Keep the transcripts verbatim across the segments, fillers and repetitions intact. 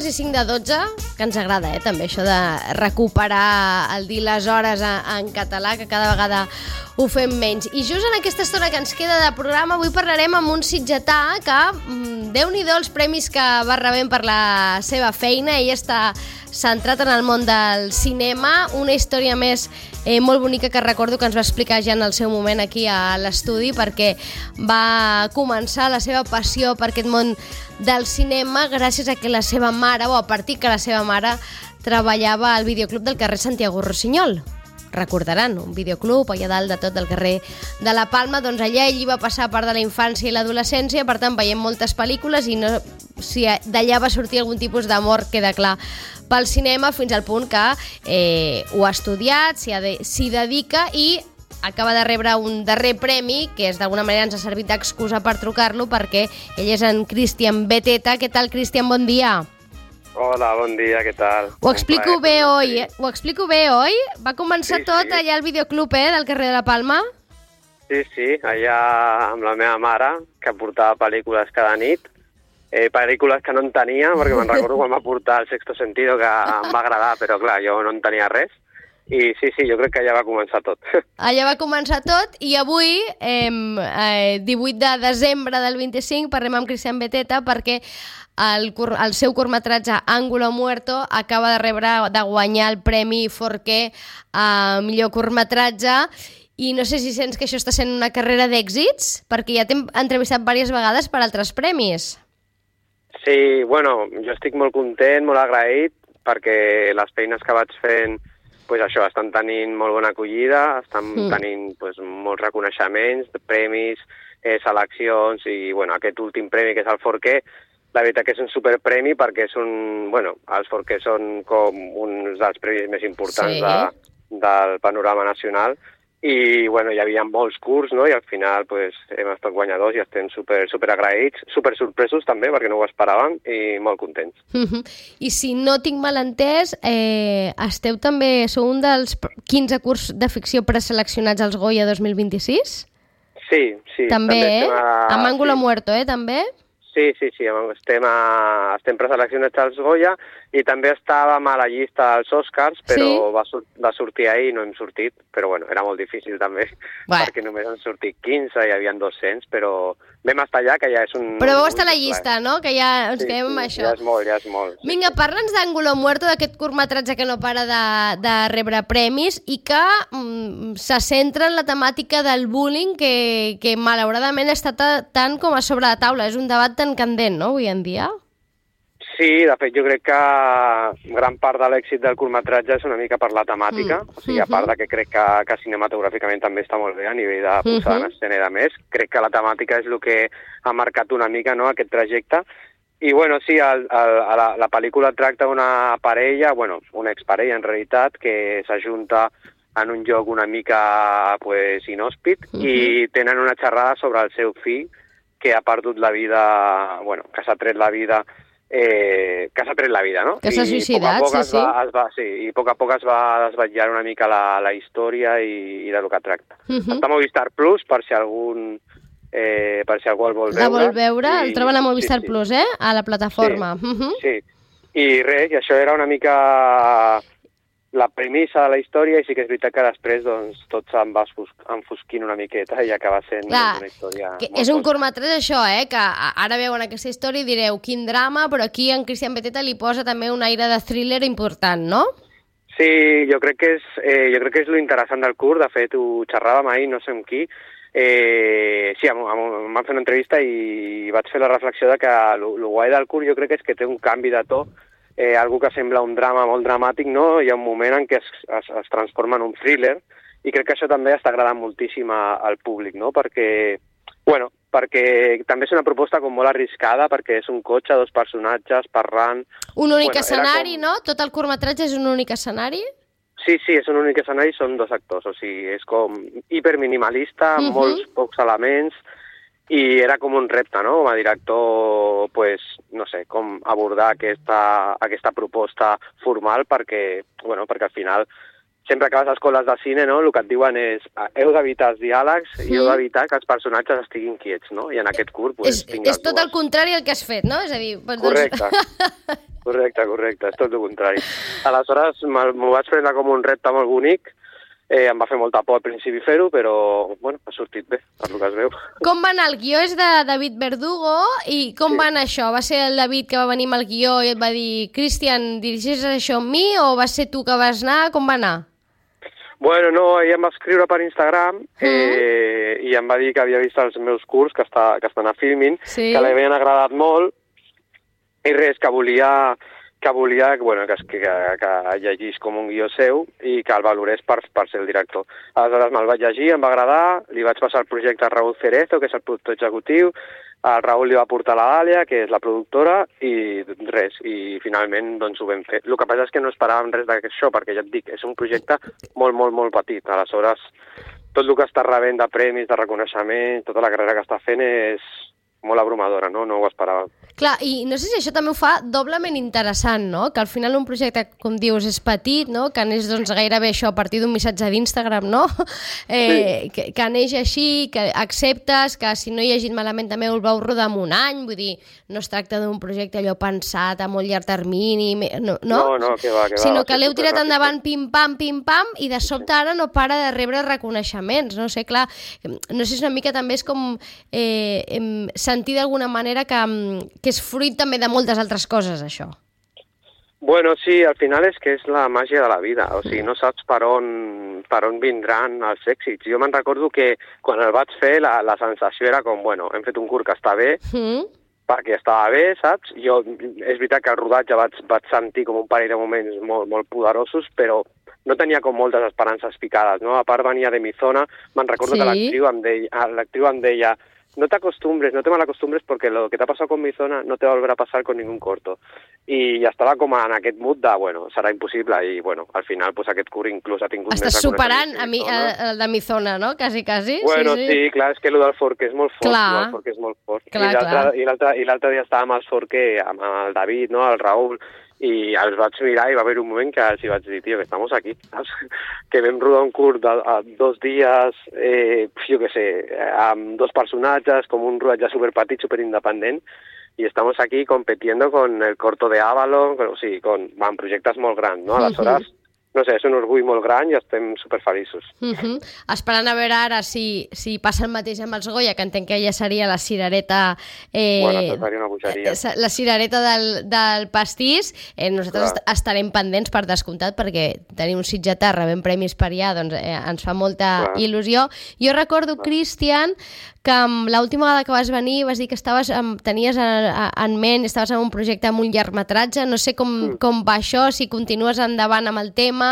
quasi cinc de dotze, que ens agrada, eh, també, això de recuperar el dir les hores en català, que cada vegada ho fem menys. I just en aquesta estona que ens queda de programa, avui parlarem amb un sitgetà que, déu-n'hi-do els premis que va rebent per la seva feina. Ell està centrat en el món del cinema, una història més eh, molt bonica que recordo que ens va explicar ja en el seu moment aquí a l'estudi, perquè va començar la seva passió per aquest món del cinema gràcies a que la seva mare, o a partir que la seva mare treballava al videoclub del carrer Santiago Rossinyol. Recordaran, un videoclub allà dalt de tot del carrer de la Palma. Doncs allà ell hi va passar part de la infància i l'adolescència, per tant veiem moltes pel·lícules i no, si d'allà va sortir algun tipus d'amor, queda clar, pel cinema, fins al punt que eh, ho ha estudiat, s'hi de, s'hi dedica i acaba de rebre un darrer premi, que és d'alguna manera ens ha servit d'excusa per trucar-lo, perquè ell és en Cristian Beteta. Què tal, Cristian? Bon dia. Hola, bon dia, què tal? Ho explico bé, oi? Ho explico bé, oi? Va començar sí, tot sí. allà al videoclub, eh, del carrer de la Palma? Sí, sí, allà amb la meva mare, que portava pel·lícules cada nit, eh, pel·lícules que no en tenia, perquè me'n recordo quan va portar El sexto sentido, que em va agradar, però clar, jo no en tenia res. I sí, sí, jo crec que allà va començar tot. Allà va començar tot i avui, eh, eh, divuit de desembre del vint-i-cinc, parlem amb Cristian Beteta perquè el, el seu curtmetratge Ángulo Muerto acaba de rebre, de guanyar el Premi Forqué a millor curtmetratge. I no sé si sents que això està sent una carrera d'èxits, perquè ja t'hem entrevistat diverses vegades per altres premis. Sí, bueno, jo estic molt content, molt agraït, perquè les feines que vaig fent pues això, estan tenint molt bona acollida, estan mm. tenint pues, molts reconeixements, premis, eh, seleccions i bueno, aquest últim premi que és el Forqué, la veritat que és un superpremi perquè és un, bueno, els Forqué són com uns dels premis més importants sí. de, del panorama nacional i bueno, hi havia molts curts, no? I al final pues, hem estat guanyadors i estem super, super agraïts, super sorpresos també perquè no ho esperàvem i molt contents. Mm-hmm. I si no tinc mal entès, eh, esteu també, sou un dels quinze curts de ficció preseleccionats als Goya dos mil vint-i-sis? Sí, sí. També, també eh? A... Amb Ángulo sí. Muerto, eh, també? Sí, sí, sí, estem, a, estem preseleccionats als Goya i també estàvem a la llista dels Oscars, però sí? va, sur va sortir ahir i no hem sortit, però bueno, era molt difícil també, Bé. perquè només han sortit quinze, hi havia dos-cents, però vam estar allà, que ja és un... Però vau estar a la llista, no? Que ja ens sí, quedem sí, amb això. Ja és molt, ja és molt. Sí. Vinga, parla'ns d'Ángulo Muerto, d'aquest curtmetratge que no para de, de rebre premis i que mm, se centra en la temàtica del bullying que, que malauradament està tant com a sobre la taula. És un debat tan candent, no?, avui en dia. Sí, de fet, jo crec que gran part de l'èxit del curtmetratge és una mica per la temàtica, mm. o sigui, a part de que crec que, que cinematogràficament també està molt bé a nivell de posada mm-hmm. en escena i de més, crec que la temàtica és el que ha marcat una mica, no?, aquest trajecte. I, bueno, sí, el, el, la, la pel·lícula tracta una parella, bueno, una exparella en realitat, que s'ajunta en un lloc una mica pues, inhòspit mm-hmm. i tenen una xerrada sobre el seu fill que ha perdut la vida, bueno, que s'ha tret la vida Eh, que s'ha tret la vida, no? Que s'ha suïcidat, sí, sí. Va, es va, sí. I a poc a poc es va desvetllar una mica la, la història i, i de lo que tracta. Uh-huh. Està a Movistar Plus, per si algun eh, per si algú el vol veure. La vol veure? I... El troben a Movistar sí, sí. Plus, eh? A la plataforma. Sí, uh-huh. sí. I res, i això era una mica la premissa de la història i sí que és veritat que després doncs, tot se'n va enfosquint una miqueta i acaba sent Clar, una història que molt és un cosa. curtmetratge això, eh? Que ara veuen aquesta història i direu quin drama, però aquí en Cristian Beteta li posa també un aire de thriller important, no? Sí, jo crec que és, eh, jo crec que és lo interessant del curt, de fet ho xerràvem ahir, no sé amb qui, eh, sí, em, em, em van fer una entrevista i vaig fer la reflexió de que el guai del curt jo crec que és que té un canvi de to, Eh, algo que sembla un drama molt dramàtic, no? Hi ha un moment en què es, es, es transforma en un thriller i crec que això també està agradant moltíssim a, al públic, no? Perquè, bueno, perquè també és una proposta com molt arriscada perquè és un cotxe, dos personatges parlant... Un únic bueno, escenari, com... com... no? Tot el curtmetratge és un únic escenari? Sí, sí, és un únic escenari, són dos actors, o sigui, és com hiperminimalista, amb uh-huh. molts pocs elements, i era com un repte, no?, com a director, pues, no sé, com abordar aquesta, aquesta proposta formal perquè, bueno, perquè al final sempre que vas a escoles de cine, no?, el que et diuen és heu d'evitar els diàlegs sí. i heu d'evitar que els personatges estiguin quiets, no? I en aquest curt, pues, és, és tot el contrari del que has fet, no? És a dir... Doncs... Correcte. correcte, correcte, és tot el contrari. Aleshores m'ho vaig prendre com un repte molt bonic. Eh, em va fer molta por al principi fer-ho, però bueno, ha sortit bé, per lo que es veu. Com va anar? El guió és de David Verdugo, i com Sí. va anar això? Va ser el David que va venir amb el guió i et va dir Cristian, dirigeixes això amb mi, o va ser tu que vas anar? Com va anar? Bueno, no, ella em va escriure per Instagram eh, i em va dir que havia vist els meus curs, que, està, que estan a Filmin, Sí. que li havien agradat molt, i res, que volia... que volia bueno, que, que, que llegís com un guió seu i que el valorés per, per ser el director. Aleshores me'l vaig llegir, em va agradar, li vaig passar el projecte a Raúl Cerezo, que és el productor executiu, el Raúl li va portar la Dàlia, que és la productora, i res, i finalment doncs ho vam fer. El que passa és que no esperàvem res d'això, perquè ja et dic, és un projecte molt, molt, molt petit. Aleshores, tot el que està rebent de premis, de reconeixement, tota la carrera que està fent és molt abrumadora, no? No ho esperàvem. Clar, i no sé si això també ho fa doblement interessant, no? Que al final un projecte, com dius, és petit, no? Que neix doncs, gairebé això a partir d'un missatge d'Instagram, no? Eh, sí. que, que neix així, que acceptes, que si no hi ha llegit malament també el vau rodar en un any, vull dir, no es tracta d'un projecte allò pensat a molt llarg termini, no? No, no, que va, que va. Sinó que va l'heu tirat superràpid. endavant pim-pam, pim-pam, i de sobte ara no para de rebre reconeixements, no sé, clar, no sé si una mica també és com eh, em, sentir d'alguna manera que, que és fruit també de moltes altres coses, això. Bueno, sí, al final és que és la màgia de la vida, o sigui, no saps per on, per on vindran els èxits. Jo me'n recordo que quan el vaig fer la, la sensació era com, bueno, hem fet un curt que està bé, Mm. perquè estava bé, saps? Jo, és veritat que el rodatge vaig, vaig sentir com un parell de moments molt, molt poderosos, però no tenia com moltes esperances picades, no? A part venia de mi zona, me'n recordo Sí. que l'actriu em deia, l'actriu em deia no te acostumbres, no te malacostumbres porque lo que te ha pasado con mi zona no te va a volver a pasar con ningún corto. I ja estava com en aquest mood de, bueno, serà impossible, i bueno, al final pues, aquest curt inclús ha tingut Estàs més superant reconeixement a mi, que a, mi zona. a, de mi zona, no? Quasi, quasi. Bueno, sí, sí. sí. sí, clar, és que el del Forquer és molt fort, Clar. el del Forquer és molt fort. Clar, I l'altre clar. i l'altre i l'altre dia estàvem al Forquer amb el David, no?, el Raúl, i els vaig mirar i va haver un moment que els hi vaig dir, tio, que estamos aquí, saps? Que vam rodar un curt de, de dos dies, eh, jo què sé, amb dos personatges, com un rodatge superpetit, superindependent, i estamos aquí competiendo con el corto de Avalon, o sigui, con, amb projectes molt grans, no? Aleshores, no sé, és un orgull molt gran i estem superfeliços. Uh -huh. Esperant a veure ara si, si passa el mateix amb els Goya, que entenc que ja seria la cirereta... Eh, Bueno, això seria una bogeria. La cirereta del, del pastís. Eh, nosaltres Clar. est estarem pendents, per descomptat, perquè tenir un sitgetà rebent premis per allà doncs, eh, ens fa molta Clar. il·lusió. Jo recordo, Clar. Cristian, que l'última vegada que vas venir vas dir que estaves amb, tenies en ment, estaves en un projecte amb un llargmetratge, no sé com, Mm. com va això, si continues endavant amb el tema...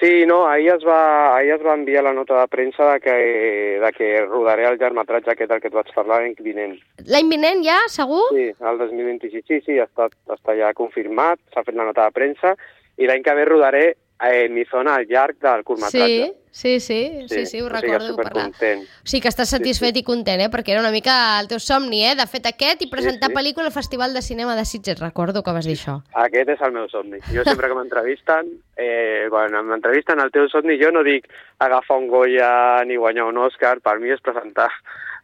Sí, no, ahir es va, ahir es va enviar la nota de premsa de que, de que rodaré el llargmetratge aquest del que et vaig parlar l'any vinent. L'any vinent ja, segur? Sí, el dos mil vint-i-sis, sí, sí, està, està ja confirmat, s'ha fet la nota de premsa, i l'any que ve rodaré eh, mi zona al llarg del curtmetratge. Sí, sí, sí, sí, sí, ho o sigui, recordo. parlar. supercontent. O sigui que estàs satisfet Sí, sí. i content, eh? Perquè era una mica el teu somni, eh? De fet aquest i presentar sí. pel·lícula al Festival de Cinema de Sitges, recordo que vas dir això. Aquest és el meu somni. Jo sempre que m'entrevisten, eh, quan m'entrevisten el teu somni, jo no dic agafar un Goya ni guanyar un Òscar, per mi és presentar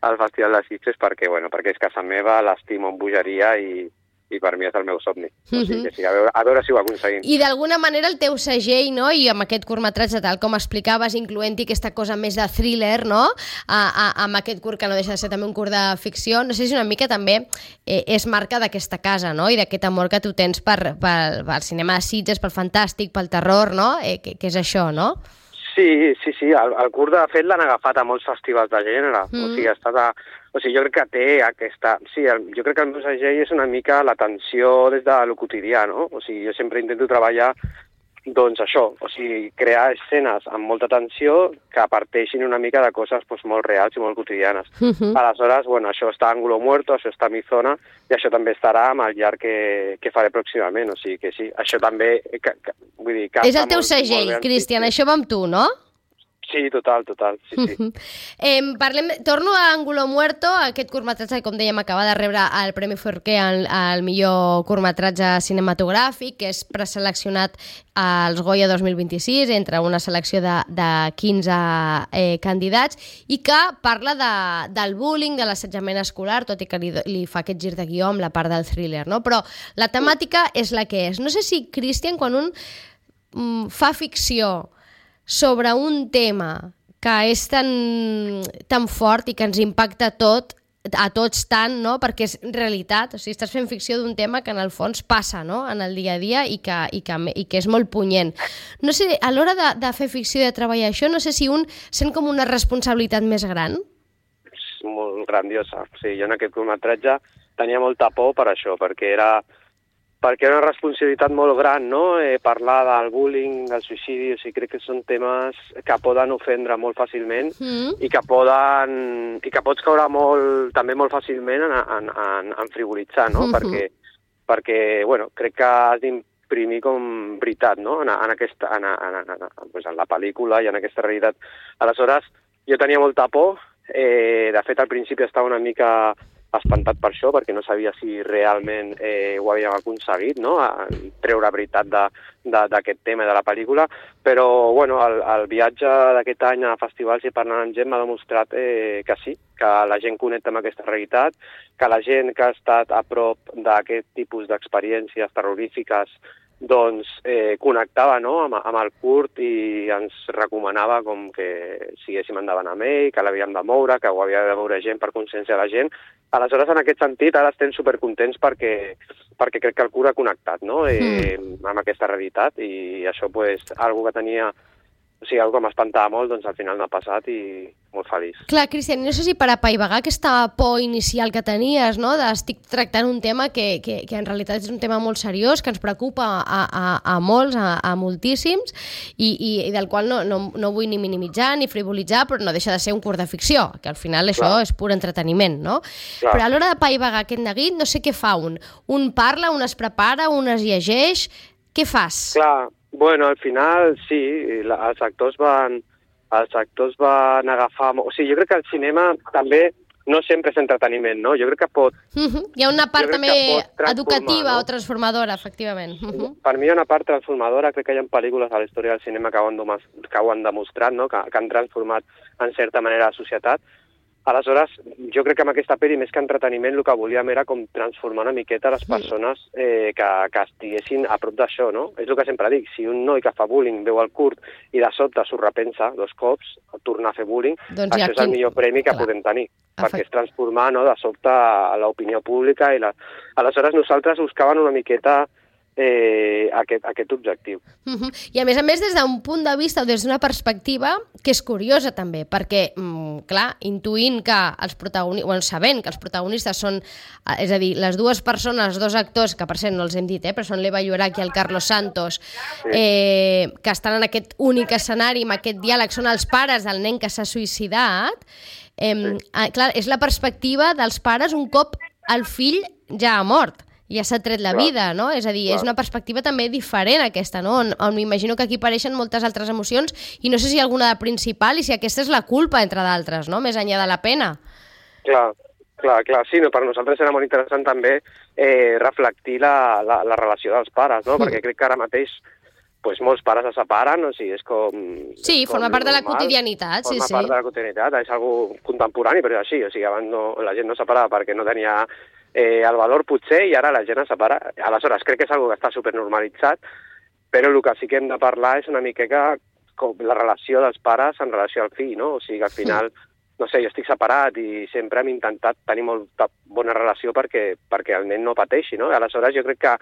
al Festival de Sitges perquè, bueno, perquè és casa meva, l'estimo amb bogeria i, i per mi és el meu somni. O sigui, que sí, a veure, a veure si ho aconseguim. I d'alguna manera el teu segell, no? I amb aquest curtmetratge, tal com explicaves, incloent-hi aquesta cosa més de thriller, no? A, a, amb aquest curt, que no deixa de ser també un curt de ficció, no sé si una mica també eh, és marca d'aquesta casa, no? I d'aquest amor que tu tens per, per, pel cinema de Sitges, pel fantàstic, pel terror, no? Eh, que, que és això, no? Sí, sí, sí, el, el curt de fet l'han agafat a molts festivals de gènere, mm. o sigui, ha estat a, o sigui, jo crec que té aquesta... Sí, el, jo crec que el meu segell és una mica l'atenció des de lo quotidià, no? O sigui, jo sempre intento treballar, doncs això, o sigui, crear escenes amb molta tensió que parteixin una mica de coses doncs, molt reals i molt quotidianes. Uh -huh. Aleshores, bueno, això està a Ángulo Muerto, això està a mi zona, i això també estarà amb el llarg que, que faré pròximament, o sigui que sí, això també... Que, que, vull dir, que És el teu segell, Cristian, això va amb tu, no? Sí, total, total, sí, sí. Uh -huh. eh, parlem, torno a Ángulo Muerto, aquest curtmetratge, com dèiem, acaba de rebre el Premi Forqué al, al millor curtmetratge cinematogràfic, que és preseleccionat als Goya dos mil vint-i-sis, entre una selecció de, de quinze eh, candidats, i que parla de, del bullying, de l'assetjament escolar, tot i que li, li fa aquest gir de guió amb la part del thriller, no? Però la temàtica és la que és. No sé si, Cristian, quan un mm, fa ficció sobre un tema que és tan, tan fort i que ens impacta tot, a tots tant, no? Perquè és realitat, o sigui, estàs fent ficció d'un tema que en el fons passa, no? En el dia a dia i que, i que, i que és molt punyent. No sé, a l'hora de, de fer ficció i de treballar això, no sé si un sent com una responsabilitat més gran? És molt grandiosa. Sí, jo en aquest curtmetratge tenia molta por per això, perquè era perquè era una responsabilitat molt gran, no? Eh, parlar del bullying, del suïcidi, o sigui, crec que són temes que poden ofendre molt fàcilment mm. i que poden i que pots caure molt, també molt fàcilment en, en, en, en frivolitzar, no? Mm-hmm. Perquè, perquè, bueno, crec que has d'imprimir com veritat, no? En, en, aquesta, en, en, en, en, pues en la pel·lícula i en aquesta realitat. Aleshores, jo tenia molta por, eh, de fet, al principi estava una mica espantat per això, perquè no sabia si realment eh, ho havíem aconseguit, no? A treure veritat d'aquest tema de la pel·lícula, però bueno, el, el viatge d'aquest any a festivals i parlant amb gent m'ha demostrat eh, que sí, que la gent connecta amb aquesta realitat, que la gent que ha estat a prop d'aquest tipus d'experiències terrorífiques doncs eh, connectava, no? amb, amb el curt i ens recomanava com que siguéssim endavant amb ell, que l'havíem de moure, que ho havia de moure gent per consciència de la gent. Aleshores, en aquest sentit, ara estem supercontents perquè, perquè crec que el curt ha connectat, no? eh, mm. amb aquesta realitat, i això, pues, algo que tenia, o sigui, algo que m'espantava molt, doncs al final m'ha passat i molt feliç. Clar, Cristian, no sé si per apaivagar aquesta por inicial que tenies, no? De estic tractant un tema que, que, que en realitat és un tema molt seriós, que ens preocupa a, a, a molts, a, a moltíssims, i, i, i del qual no, no, no vull ni minimitzar ni frivolitzar, però no deixa de ser un curt de ficció, que al final això Clar. És pur entreteniment, no? Clar. Però a l'hora d'apaivagar aquest neguit, no sé què fa un. Un parla, un es prepara, un es llegeix... Què fas? Clar, bueno, al final sí, la, els actors van els actors van agafar... O sigui, jo crec que el cinema també no sempre és entreteniment, no? Jo crec que pot... Uh-huh. Hi ha una part també educativa, no? O transformadora, efectivament. Uh-huh. Per mi hi ha una part transformadora, crec que hi ha pel·lícules a la història del cinema que ho han, que ho han demostrat, no? que, que han transformat en certa manera la societat. Aleshores, jo crec que amb aquesta pel·li, més que entreteniment, el que volíem era com transformar una miqueta les persones eh, que, que estiguessin a prop d'això, no? És el que sempre dic, si un noi que fa bullying veu el curt i de sobte s'ho repensa dos cops, tornar a fer bullying, doncs això és el millor premi que Clar. Podem tenir, perquè és transformar, no?, de sobte l'opinió pública. I la... Aleshores, nosaltres buscàvem una miqueta Eh, aquest, aquest objectiu. Uh-huh. I a més a més des d'un punt de vista o des d'una perspectiva que és curiosa també, perquè, mm, clar, intuint que els protagonistes, bueno, sabent que els protagonistes són, és a dir, les dues persones, els dos actors, que per cert no els hem dit, eh, però són l'Eva Llorach i el Carlos Santos, sí. eh, que estan en aquest únic escenari, amb aquest diàleg, són els pares del nen que s'ha suïcidat, eh, sí. eh, clar, és la perspectiva dels pares un cop el fill ja ha mort. Ja s'ha tret la Clar. vida, no? És a dir, Clar. és una perspectiva també diferent aquesta, no? On, on m'imagino que aquí apareixen moltes altres emocions i no sé si alguna de principal i si aquesta és la culpa, entre d'altres, no? Més enllà de la pena. Clar, clar, clar. Sí, no, per nosaltres era molt interessant també eh, reflectir la, la, la relació dels pares, no? Mm. Perquè crec que ara mateix pues, molts pares se separen, o sigui, és com... Sí, és com forma part normal. de la quotidianitat, forma sí, sí. Forma part de la quotidianitat, és algo contemporani, però és així, o sigui, abans no, la gent no separava perquè no tenia... Eh, el valor potser, i ara la gent es separa. Aleshores, crec que és una que està supernormalitzat, però el que sí que hem de parlar és una miqueta com la relació dels pares en relació al fill, no? O sigui, que al final, no sé, jo estic separat i sempre hem intentat tenir molta bona relació perquè, perquè el nen no pateixi, no? Aleshores, jo crec que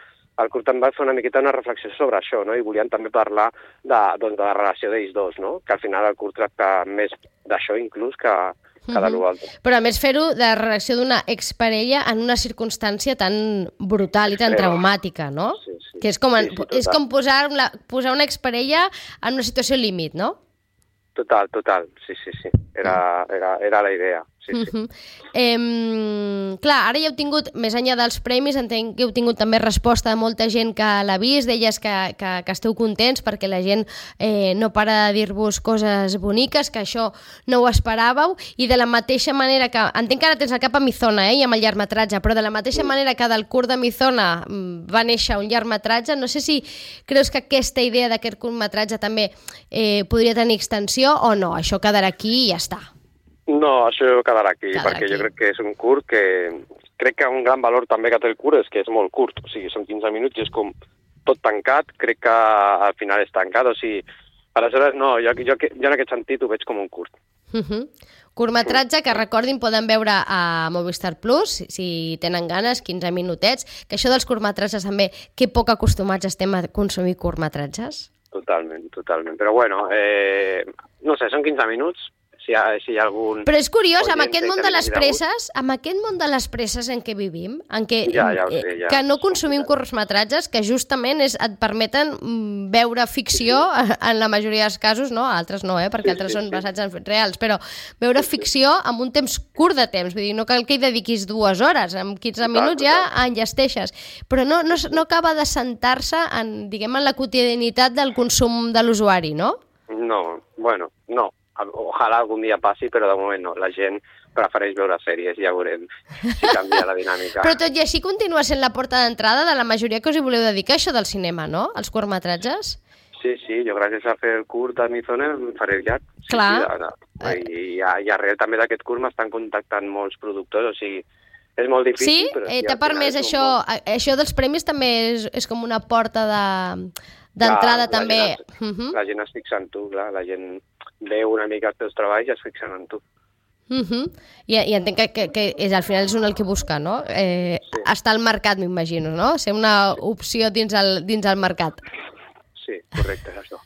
el curt em va fer una miqueta una reflexió sobre això, no? I volíem també parlar de, doncs, de la relació d'ells dos, no? Que al final el curt tracta més d'això inclús que... cada uh-huh. altre. Però a més fer-ho de la reacció d'una exparella en una circumstància tan brutal i tan sí, traumàtica, no? Sí, sí. Que és com, en, sí, sí, és com posar, la, posar una exparella en una situació límit, no? Total, total, sí, sí, sí. Era, era, era la idea. sí, sí. Uh-huh. eh, clar, ara ja heu tingut, més enllà dels premis, entenc que heu tingut també resposta de molta gent que l'ha vist, deies que, que, que esteu contents perquè la gent eh, no para de dir-vos coses boniques, que això no ho esperàveu, i de la mateixa manera que, entenc que ara tens el cap a Mizona, eh, i amb el llargmetratge, però de la mateixa manera que del curt de Mizona va néixer un llargmetratge, no sé si creus que aquesta idea d'aquest curtmetratge també eh, podria tenir extensió o no, això quedarà aquí i ja està. No, això quedarà aquí, Quedarà perquè aquí. jo crec que és un curt que... Crec que un gran valor també que té el curt és que és molt curt, o sigui, són quinze minuts i és com tot tancat, crec que al final és tancat, o sigui, aleshores no, jo, jo, jo en aquest sentit ho veig com un curt. Uh-huh. Curtmetratge que, recordin, poden veure a Movistar Plus, si tenen ganes, quinze minutets, que això dels curtmetratges també, que poc acostumats estem a consumir curtmetratges. Totalment, totalment, però bueno, eh, no sé, són quinze minuts, si hi ha, si hi ha algun... Però és curiós, amb oient aquest que món de les hagi presses, amb aquest món de les presses en què vivim, en què, Ja, ja ho sé, eh, ja. que no consumim curtmetratges, que justament és, et permeten mm, veure ficció, en la majoria dels casos, no? Altres no, eh? perquè Sí, altres sí, són sí. basats en fets reals, però veure ficció amb un temps curt de temps, vull dir, no cal que hi dediquis dues hores, amb quinze minuts ja enllesteixes, però no, no, no acaba de sentar-se en, diguem, en la quotidianitat del consum de l'usuari, no? No, bueno, no. Ojalà algun dia passi, però de moment no. La gent prefereix veure sèries, ja veurem si canvia la dinàmica. Però tot i així continua sent la porta d'entrada de la majoria que us hi voleu dedicar, això del cinema, no? Els curtmetratges? Sí, sí, jo gràcies a fer el curt a Mizona em faré el llarg. Sí, Clar. Sí, de, de, I, i, i arrel també d'aquest curt m'estan contactant molts productors, o sigui, és molt difícil. Sí? Però Eh, sí, T'ha al final permès és un això, bon- això dels premis també és, és com una porta de d'entrada Clar, la també. gent es- Uh-huh. La gent es fixa en tu, clar, la gent veu una mica els teus treballs i es fixen en tu. Uh-huh. I, I entenc que, que, que és, al final és un el que busca, no? Eh, Sí. Estar al mercat, m'imagino, no? Ser una opció dins el, dins el mercat. Sí, correcte, és això.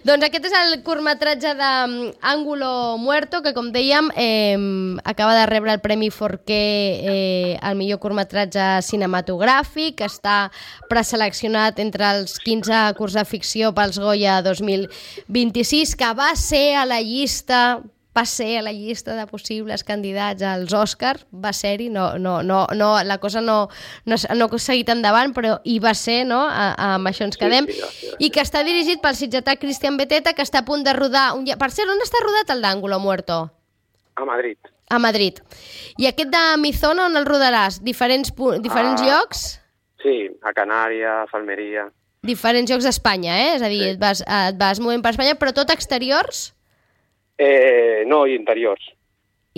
Doncs aquest és el curtmetratge d'Ángulo Muerto, que com dèiem eh, acaba de rebre el Premi Forqué eh, al millor curtmetratge cinematogràfic, que està preseleccionat entre els quinze curts de ficció pels Goya dos mil vint-i-sis, que va ser a la llista va ser a la llista de possibles candidats als Oscars, va ser-hi, no, no, no, no, la cosa no, no, no ha seguit endavant, però hi va ser, no? A, a, amb això ens quedem. Sí, sí, sí, sí. I que està dirigit pel sitgetà Cristian Beteta, que està a punt de rodar... Un... lla- Per cert, on està rodat el d'Ángulo Muerto? A Madrid. A Madrid. I aquest de Mizona, on el rodaràs? Diferents, pu- diferents Ah. llocs? Sí, a Canària, a Falmeria... Diferents llocs d'Espanya, eh? És a dir, Sí. et, vas, et vas movent per Espanya, però tot exteriors? Eh, no, i interiors.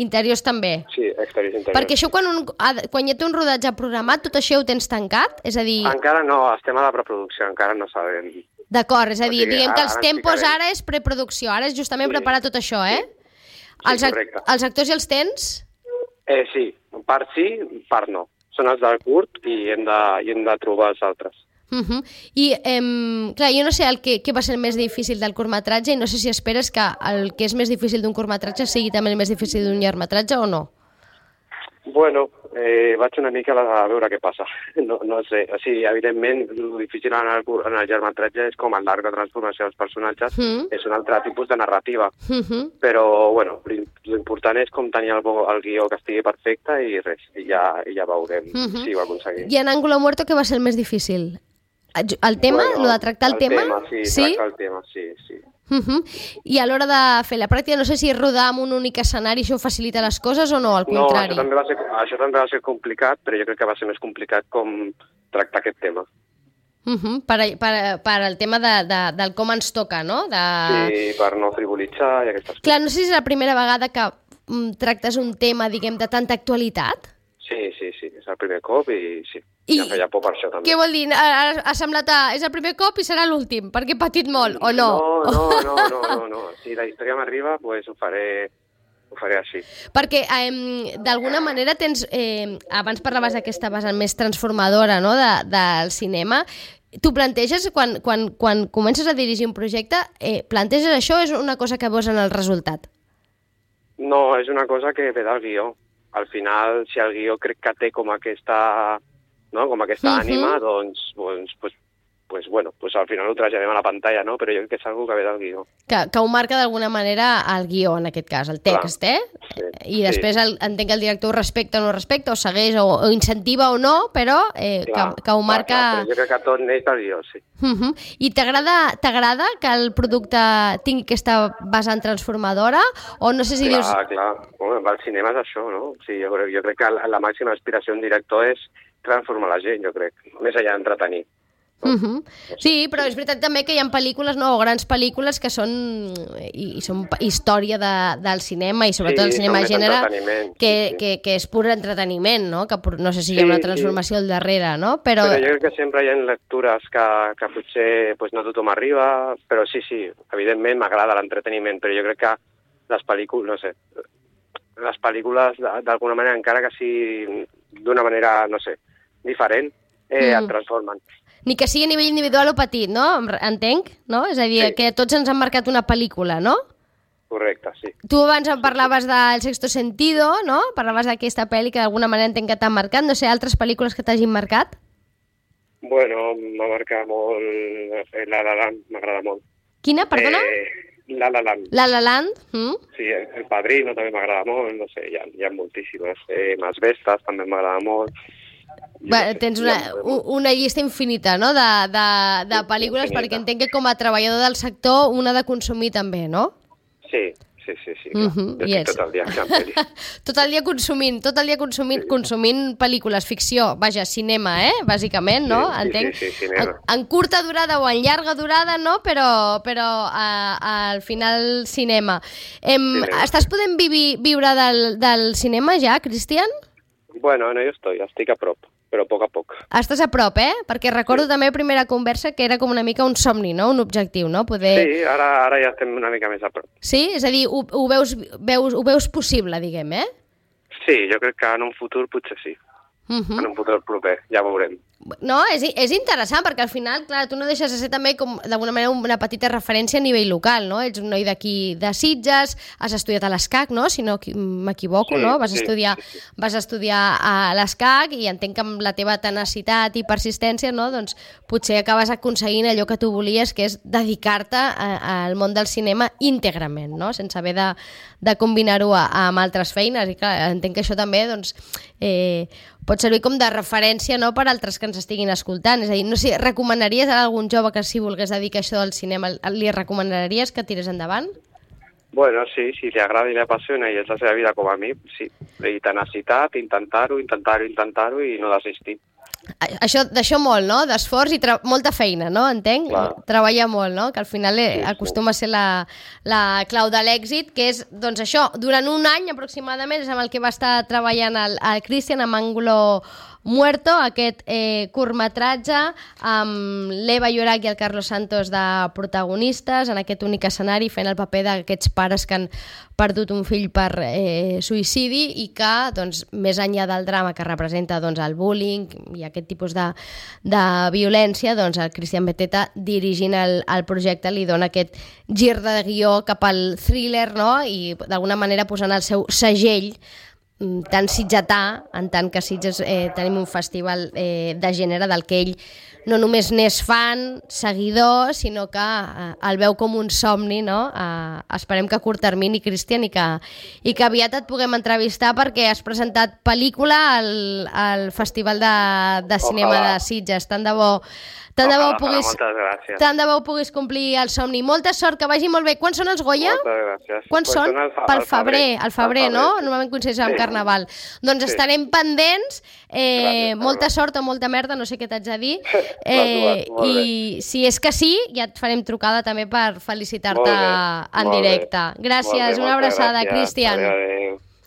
Interiors també. Sí, exteriors i interiors. Perquè això, quan, un, ha de- quan ja té un rodatge programat, tot això ho tens tancat? És a dir, Encara no, estem a la preproducció, encara no sabem. d'acord, és a o dir, sigui, diguem que ara els ens tempos ficarem. ara és preproducció, ara és justament Sí. preparar tot això, eh? Sí, els, ac- correcte. els actors i els tens? Eh, sí, part sí, part no. Són els del curt i hem de, i hem de trobar els altres. Uh -huh. I, em, clar, jo no sé el que, què va ser el més difícil del curtmetratge i no sé si esperes que el que és més difícil d'un curtmetratge sigui també el més difícil d'un llargmetratge o no. Bueno, eh, vaig una mica a veure què passa. No, no sé, o sigui, evidentment, el difícil en el, cur- en el llargmetratge és com el l'arc de transformació dels personatges, Mm. és un altre tipus de narrativa. Uh -huh. Però, bueno, l'important és com tenir el, bo- el guió que estigui perfecte i res, i ja, i ja veurem Mhm. si ho aconseguim. I en Ángulo Muerto què va ser el més difícil? El tema? Bueno, Lo de tractar el, tema? tema? Sí, sí? tractar el tema, sí, sí. Uh -huh. I a l'hora de fer la pràctica, no sé si rodar amb un únic escenari això facilita les coses o no, al No, contrari. això també, va ser, això també va ser complicat, però jo crec que va ser més complicat com tractar aquest tema. Uh -huh. per, per, per el tema de, de, del com ens toca, no? De... Sí, per no frivolitzar i aquestes coses. Clar, no sé si és la primera vegada que mm, tractes un tema, diguem, de tanta actualitat. Sí, sí, sí, és el primer cop i sí, I- I... em feia por per això també. Què vol dir? Ha, ha semblat a... És el primer cop i serà l'últim, perquè he patit molt, o no? No, no, no, no, no, no. Si la història m'arriba, pues ho faré, ho faré així. Perquè eh, d'alguna manera tens... Eh, abans parlaves d'aquesta vessant més transformadora, no?, de, del cinema. Tu planteges, quan, quan, quan comences a dirigir un projecte, eh, planteges això o és una cosa que veus en el resultat? No, és una cosa que ve del guió. Al final, si el guió crec que té com aquesta, no? com aquesta Mhm. ànima, doncs, doncs, pues, pues bueno, pues al final ho traslladem a la pantalla, no? Però jo crec que és algo que ve del guió. Que, que ho marca d'alguna manera el guió, en aquest cas, el text, Clar, eh? Sí, I després sí. el, entenc que el director ho respecta o no respecta, o segueix, o, o incentiva o no, però eh, clar, que, que ho marca... Clar, clar, jo crec que tot neix del guió, sí. Uh -huh. I t'agrada que el producte tingui aquesta vessant transformadora? O no sé si clar, dius... Clar, clar. Bueno, el cinema és això, no? O sigui, jo, crec, jo crec que la, la màxima aspiració d'un director és transformar la gent, jo crec, més allà d'entretenir. Uh -huh. Sí, però és veritat també que hi ha pel·lícules, no, o grans pel·lícules que són, i, i són història de, del cinema i sobretot sí, el cinema de gènere que, sí, sí. que, que és pur entreteniment, no? Que no sé si hi ha una transformació sí. al darrere, no? Però... però jo crec que sempre hi ha lectures que, que potser pues, no tothom arriba, però sí, sí, evidentment m'agrada l'entreteniment, però jo crec que les pel·lícules, no sé, les pel·lícules d'alguna manera, encara que sigui d'una manera, no sé, diferent, eh, mm. et transformen. Ni que sigui a nivell individual o petit, no? Entenc, no? És a dir, sí. que tots ens han marcat una pel·lícula, no? Correcte, sí. Tu abans em parlaves del Sexto Sentido, no? Parlaves d'aquesta pel·li que d'alguna manera entenc que t'han marcat. No sé, altres pel·lícules que t'hagin marcat? Bueno, m'ha marcat molt La La Land, m'agrada molt. Quina, perdona? Eh, La La Land. La La Land? Mm? Sí, El Padrino també m'agrada molt, no sé, hi ha, hi ha moltíssimes. Eh, Mas Vestas també m'agrada molt. Va, tens una, una llista infinita, no?, de, de, de pel·lícules, infinita. Perquè entenc que com a treballador del sector una ha de consumir també, no? Sí, sí, sí, sí. Uh -huh. Jo yes. tot el dia en pel·lis. Tot el dia consumint, tot el dia consumint, sí. consumint pel·lícules, ficció, vaja, cinema, eh?, bàsicament, no? Sí, entenc? Sí, sí, sí, cinema. En, en curta durada o en llarga durada, no?, però, però a, a, al final cinema. Em, cinema. Estàs podent vi, viure del, del cinema ja, Cristian? Bueno, no, jo estoy, estic a prop, però a poc a poc. Estàs a prop, eh? Perquè recordo sí. també la primera conversa que era com una mica un somni, no? Un objectiu, no? Poder... Sí, ara, ara ja estem una mica més a prop. Sí? És a dir, ho, ho, veus, veus, ho veus possible, diguem, eh? Sí, jo crec que en un futur potser sí. Uh -huh. En un futur proper, ja veurem. No, és, és interessant, perquè al final, clar, tu no deixes de ser també com d'alguna manera una petita referència a nivell local, no? Ets un noi d'aquí de Sitges, has estudiat a l'ESCAC, no? Si no m'equivoco, sí, no? Vas, sí, estudiar, sí, sí. vas estudiar a l'ESCAC i entenc que amb la teva tenacitat i persistència, no? Doncs potser acabes aconseguint allò que tu volies, que és dedicar-te al món del cinema íntegrament, no? Sense haver de, de combinar-ho amb altres feines. I clar, entenc que això també, doncs, eh, pot servir com de referència, no?, per altres que ens estiguin escoltant. És a dir, no sé, recomanaries a algun jove que si volgués dedicar això al cinema, li recomanaries que tirés endavant? Bueno, sí, si li agrada i li apassiona i és la seva vida com a mi, sí. I tenacitat, intentar-ho, intentar-ho, intentar-ho i no desistir. Això, d'això molt, no?, d'esforç i molta feina, no?, entenc? Clar. Treballar molt, no?, que al final sí, acostuma sí. a ser la, la clau de l'èxit, que és, doncs això, durant un any aproximadament és amb el que va estar treballant el, el Cristian amb Ángulo Muerto, aquest eh, curtmetratge amb l'Eva Llorach i el Carlos Santos de protagonistes en aquest únic escenari fent el paper d'aquests pares que han perdut un fill per eh, suïcidi i que, doncs, més enllà del drama que representa doncs, el bullying i aquest tipus de, de violència, doncs el Cristian Beteta dirigint el, el projecte li dona aquest gir de guió cap al thriller, no?, i d'alguna manera posant el seu segell tan sitgetà, en tant que Sitges eh, tenim un festival eh, de gènere del que ell no només n'és fan, seguidor, sinó que eh, el veu com un somni, no? Eh, esperem que a curt termini, Cristian, i que, i que aviat et puguem entrevistar perquè has presentat pel·lícula al, al Festival de, de Cinema Ojalà. de Sitges. Tant de bo Tant de, bo puguis, tant de bo puguis complir el somni. Molta sort, que vagi molt bé. Quan són els Goya? Moltes gràcies. Quan pues són? Al, Pel febrer, al febrer, febrer, no? Sí. Normalment coincideix amb sí. Carnaval. Doncs sí. estarem pendents. Eh, gràcies, molta sort o molta merda, no sé què t'haig de dir. Eh, I si és que sí, ja et farem trucada també per felicitar-te en directe. Gràcies, una abraçada, Cristian. Adéu, adéu.